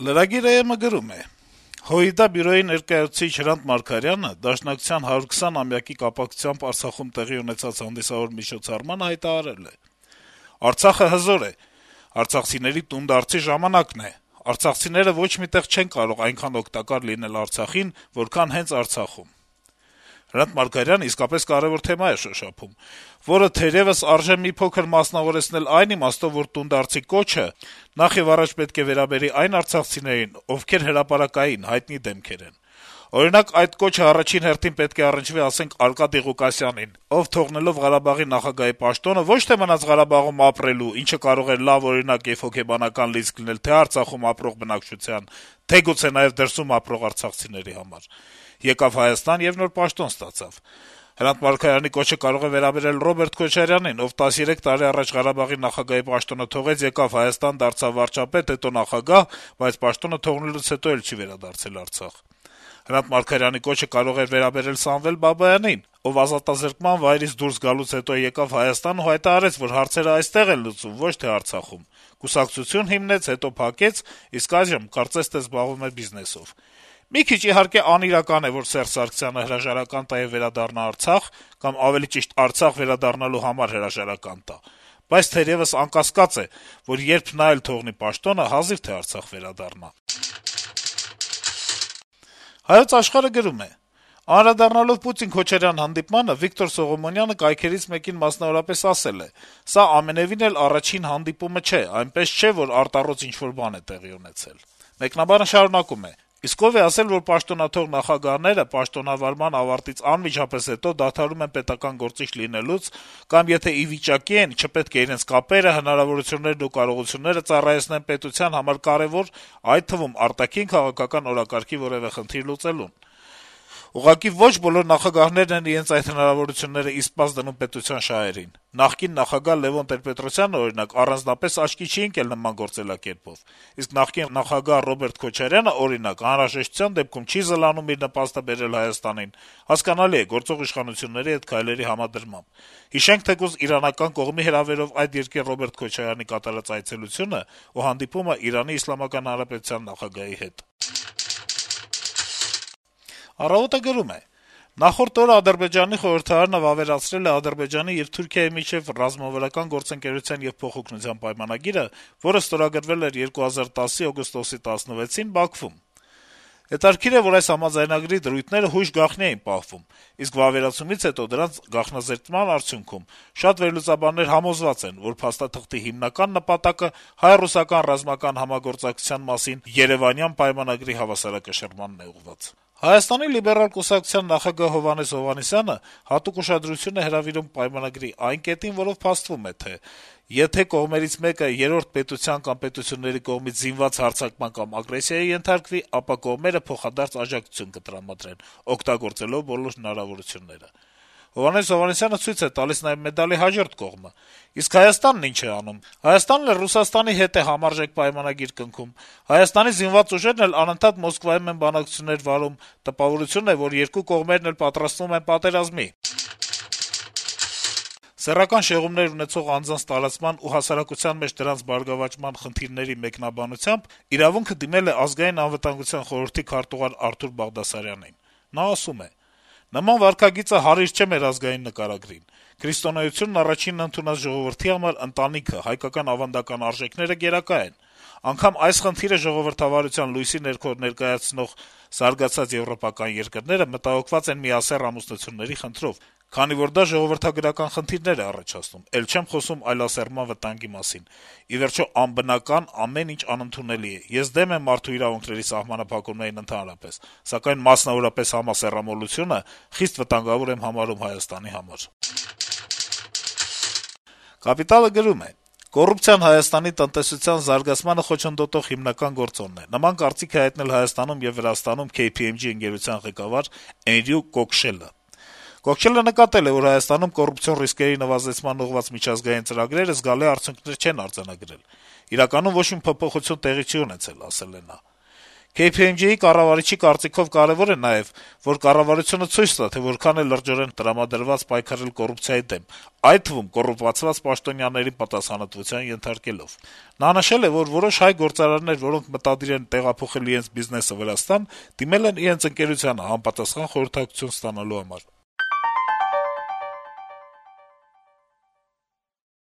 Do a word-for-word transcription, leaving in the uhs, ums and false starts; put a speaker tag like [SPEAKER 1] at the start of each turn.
[SPEAKER 1] Lragir.am-ը գրում է. «ՀՅԴ բյուրոյի ներկայացուցիչ Հրանտ Մարգարյանը Դաշնակցության հարյուրքսյոն-ամյակի կապակցությամբ Արցախում տեղի ունեցած հանդիսավոր միջոցառմանը հայտարարել է. «Արցախը հզոր է, արցախցիների տունդարձի ժամանակն է, արցախցիները ոչ մի տեղ չեն կարող այնքան օգտակար լինել Արցախին, որքան հենց Արցախում»։ Հրանտ Մարգարյանը իսկապես կարեւոր թեմա է շոշափում, որը թերեւս արժե մի փոքր մասնավորեցնել այն իմաստով, որ տունդարձի կոչը նախ եւ առաջ պետք է վերաբերի այն արցախցիներին, ովքեր հրապարակային, հայտնի դեմքեր են։ Օրինակ, այդ կոչը առաջին հերթին պետք է առնչվի, ասենք, Արկադի Ղուկասյանին, ով թողնելով Ղարաբաղի նախագահի պաշտոնը ոչ թե մնաց Ղարաբաղում ապրելու, ինչը կարող էր լավ օրինակ եւ հոգեբանական լիցք լինել թե Արցախում ապրող բնակչության, թե գուցե նաեւ դրսում ապրող արցախցիների համար, եկավ Հայաստան եւ նոր պաշտոն ստացավ։ Հրանտ Մարգարյանի կոչը կարող է վերաբերել Ռոբերտ Քոչարյանին, ով տասներեք տարի առաջ Ղարաբաղի նախագահի պաշտոնը թողեց, եկավ Հայաստան, դարձավ վարչապետ, հետո նախագահ, բայց պաշտոնը թողնելուց հետո էլ չի վերադարձել Արցախ։ Հրանտ Մարգարյանի կոչը կարող է վերաբերել Սամվել Բաբայանին, ով ազատազրկման վայրից դուրս գալուց հետո եկավ Հայաստան ու հայտարարեց, որ հարցերը այստեղ են լուծում, ոչ թե Արցախում։ Կուսակցություն հիմնեց, հետո փակեց, իսկ այժմ կարծես թե զբաղվում է բիզնեսով։ Մի քիչ իհարկե անիրական է, որ Սերժ Սարգսյանը հրաժարական տա եւ վերադառնա Արցախ, կամ ավելի ճիշտ Արցախ վերադառնալու համար հրաժարական տա, բայց թերեւս անկասկած է, որ երբ նա էլ թողնի պաշտոնը, հազիվ թե Արցախ վերադառնա»։ «Հայոց Աշխարհ»-ը գրում է. - «Անդրադառնալով Պուտին-Քոչարյան հանդիպմանը Վիկտոր Սողոմոնյանը կայքերից մեկին մասնավորապես ասել է. «Սա ամենեւին էլ առաջին հանդիպումը չէ, այնպես չէ, որ արտառոց ինչ-որ բան է տեղի ունեցել»։ Մեկնաբանը շարունակում է. - «Իսկ ով է ասել, որ պաշտոնաթող նախագահները պաշտոնավարման ավարտից անմիջապես հետո դադարում են պետական գործիչ լինելուց, կամ եթե ի վիճակի են, չպետք է իրենց կապերը, հնարավորություններն ու կարողությունները ծառայեցնեն պետության համար կարեւոր, այդ թվում արտաքին քաղաքական օրակարգի որեւէ խնդիր լուծելուն։ Ուղղակի ոչ բոլոր նախագահներն են իրենց այդ հնարավորությունները իսպաս դնում պետության շահերին։ Նախկին նախագահ Լեւոն Տեր-Պետրոսյանը, օրինակ, առանձնապես աչքի չի ընկել նման գործելակերպով, իսկ նախկին նախագահ Ռոբերտ Քոչարյանը, օրինակ, անհրաժեշտության դեպքում չի զլանում իր նպաստը բերել Հայաստանին։ Հասկանալի է, գործող իշխանությունների հետ քայլերի համադրմամբ։ Հիշենք թեկուզ իրանական կողմի հրավերով այդ երկիր Ռոբերտ Քոչարյանի կատարած այցելությունը ու հանդիպումը Իրանի Իսլամական Հանրապետության նախագահի հետ»։ «Առավոտ»-ը գրում է. - «Նախորդ օրը Ադրբեջանի խորհրդարանը վավերացրել է Ադրբեջանի եւ Թուրքիայի միջեւ ռազմավարական գործընկերության եւ փոխօգնության պայմանագիրը, որը ստորագրվել էր երկու հազար տասի օգոստոսի տասնվեցին Բաքվում։ Հետաքրքիր է, որ այս համաձայնագրի դրույթները հույժ գաղտնի էին պահվում, իսկ վավերացումից հետո դրանց գաղտնազերծման արդյունքում շատ վերլուծաբաններ համոզված են, որ փաստաթղթի հիմնական նպատակը հայ-ռուսական ռազմական համագործակցության մասին Երեւանյան պայմանագրի հավասարակշռմանն է ուղղված։ Հայաստանի լիբերալ կուսակցության նախագահ Հովհաննես Հովհաննիսյանը հատուկ ուշադրություն է հրավիրում պայմանագրի այն կետին, որով փաստվում է, թե եթե կողմերից մեկը երրորդ պետության կամ պետությունների կողմից զինված հարձակման կամ ագրեսիայի ենթարկվի, ապա կողմերը փոխադարձ աջակցություն կտրամադրեն, օգտագործելով բոլոր հնարավորությունները։ Հովհաննես Հովհաննիսյանը ցույց է տալիս նաեւ մեդալի հաջորդ կողմը։ Իսկ Հայաստանն ինչ է անում։ Հայաստանն էլ Ռուսաստանի հետ է համարժեք պայմանագիր կնքում։ Հայաստանի զինված ուժերն էլ անընդհատ Մոսկվայում են բանակցություններ վարում, տպավորություն է, որ երկու կողմերն էլ պատրաստվում են պատերազմի։ Սեռական շեղումներ ունեցող անձանց տարածման ու հասարակության մեջ դրանց բարգավաճման խնդիրների մեկնաբանությամբ «Իրավունք»-ը դիմել է Ազգային անվտանգության խորհրդի քարտուղար Արթուր Բաղդասարյանին։ Նա ասում է. - «Նման վարքագիծը հարիր չէ մեր ազգային նկարագրին։ Քրիստոնեությունն առաջինն ընդունած ժողովրդի համար ընտանիքը, հայկական ավանդական արժեքները գերակա են։ Անգամ այս խնդիրը ժողովրդավարության լույսի ներքո ներկայացնող զարգացած եվրոպական երկրները մտահոգված են միասեռ ամուսնությունների խնդրով, քանի որ դա ժողովրդագրական խնդիրներ է առաջացնում, էլ չեմ խոսում այլասեռման վտանգի մասին։ Ի վերջո, անբնական, ամեն ինչ անընդունելի է։ Ես դեմ եմ մարդու իրավունքների սահմանափակումներին ընդհանրապես, սակայն մասնավորապես համասեռամոլությունը խիստ վտանգավոր եմ համարում Հայաստանի համար»։ «Կապիտալ»-ը գրում է. - «Կոռուպցիան Հայաստանի տնտեսության զարգացմանը խոչընդոտող հիմնական գործոնն է։ Նման կարծիք է հայտնել Հայաստանում եւ Վրաստանում Քեյ Փի Էմ Ջի ընկերության ղեկավար Էնրյու Կոքշելը։ Կոքշելը նկատել է, որ Հայաստանում կոռուպցիոն ռիսկերի նվազեցման ուղղված միջազգային ծրագրերը զգալի արդյունքներ չեն արձանագրել։ Իրականում ոչ մի փոփոխություն տեղի չի ունեցել, ասել է նա։ Քեյ Փի Էմ Ջի-ի կառավարիչի կարծիքով կարեւոր է նաեւ, որ կառավարությունը ցույց տա, թե որքան է լրջորեն տրամադրված պայքարել կոռուպցիայի դեմ, այդ թվում կոռուպացված պաշտոնյաներին պատասխանատվության ենթարկելով: Նա նշել է, որ որոշ հայ գործարարներ, որոնք մտադիր են տեղափոխել իրենց բիզնեսը Վրաստան, դիմել են իրենց ընկերությանը` համապատասխան խորհրդակցություն ստանալու համար: